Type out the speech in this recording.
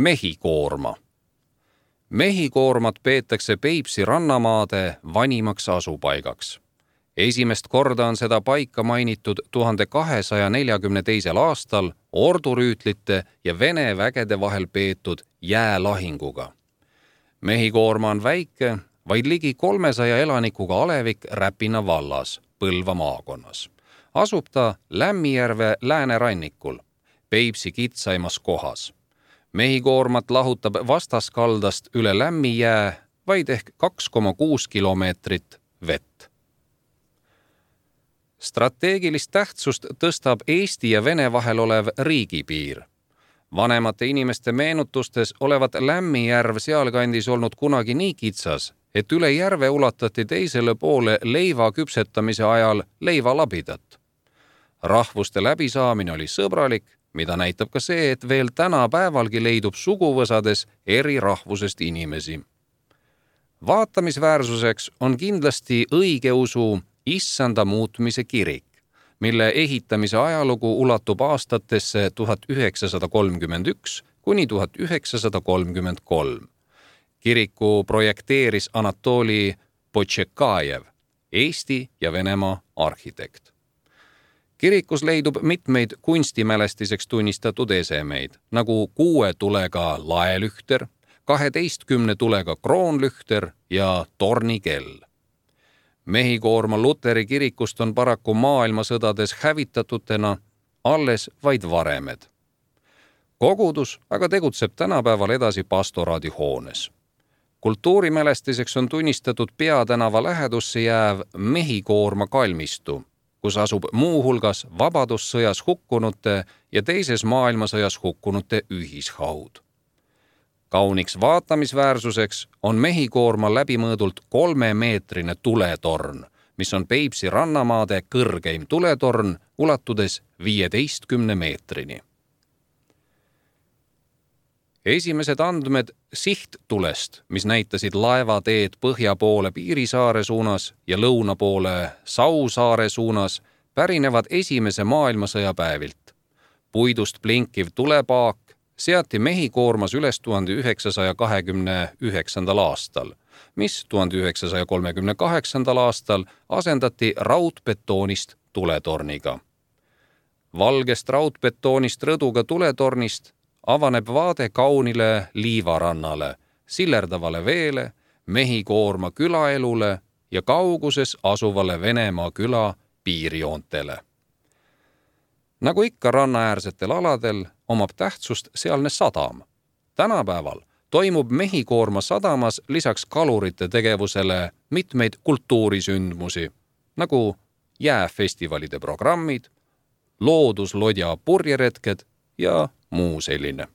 Mehhikoorma. Mehhikoormat peetakse Peipsi rannamaade vanimaks asupaigaks. Esimest korda on seda paika mainitud 1242. aastal ordurüütlite ja Vene vägede vahel peetud jäälahinguga. Mehhikoorma on väike, vaid ligi 300 elanikuga alevik Räpina vallas, Põlva maakonnas. Asub ta Lämmijärve läänerannikul, Peipsi kitsaimas kohas. Mehhikoormat lahutab vastaskaldast üle Lämmijää vaid ehk 2,6 kilomeetrit vett. Strateegilist tähtsust tõstab Eesti ja Vene vahel olev riigipiir. Vanemate inimeste meenutustes olevat Lämmijärv sealkandis olnud kunagi nii kitsas, et üle järve ulatati teisele poole leiva küpsetamise ajal leivalabidat. Rahvuste läbisaamine oli sõbralik, mida näitab ka see, et veel tänapäevalgi leidub suguvõsades eri rahvusest inimesi. Vaatamisväärsuseks on kindlasti õigeusu Issanda muutmise kirik, mille ehitamise ajalugu ulatub aastatesse 1931 kuni 1933. Kiriku projekteeris Anatoli Potšekajev, Eesti ja Venemaa arhitekt. Kirikus leidub mitmeid kunstimälestiseks tunnistatud esemeid, nagu 6 tulega laelühter, 12 tulega kroonlühter ja tornikell. Mehhikoorma luteri kirikust on paraku maailmasõdades hävitatutena alles vaid varemed. Kogudus aga tegutseb tänapäeval edasi pastoraadihoones. Kultuurimälestiseks on tunnistatud Peatänava lähedusse jääv Mehhikoorma kalmistu, kus asub muuhulgas vabadussõjas hukkunute ja teises maailmasõjas hukkunute ühishaud. Kauniks vaatamisväärsuseks on Mehhikoorma läbimõõdult 3-meetrine tuletorn, mis on Peipsi rannamaade kõrgeim tuletorn, ulatudes 15 meetrini. Esimesed andmed sihttulest, mis näitasid laevateed põhja poole Piirisaare suunas ja lõuna poole Sausaare suunas, pärinevad esimese maailmasõja päevilt. Puidust blinkiv tulepaak seati Mehhikoormas üles 1929. aastal, mis 1938. aastal asendati raudbetoonist tuletorniga. Valgest raudbetoonist rõduga tuletornist avaneb vaade kaunile liivarannale, sillerdavale veele, Mehhikoorma külaelule ja kauguses asuvale Venemaa küla piirijoontele. Nagu ikka rannaäärsetel aladel, omab tähtsust sealne sadam. Tänapäeval toimub Mehhikoorma sadamas lisaks kalurite tegevusele mitmeid kultuurisündmusi, nagu jääfestivalide programmid, looduslodja purjeretked ja muu selline.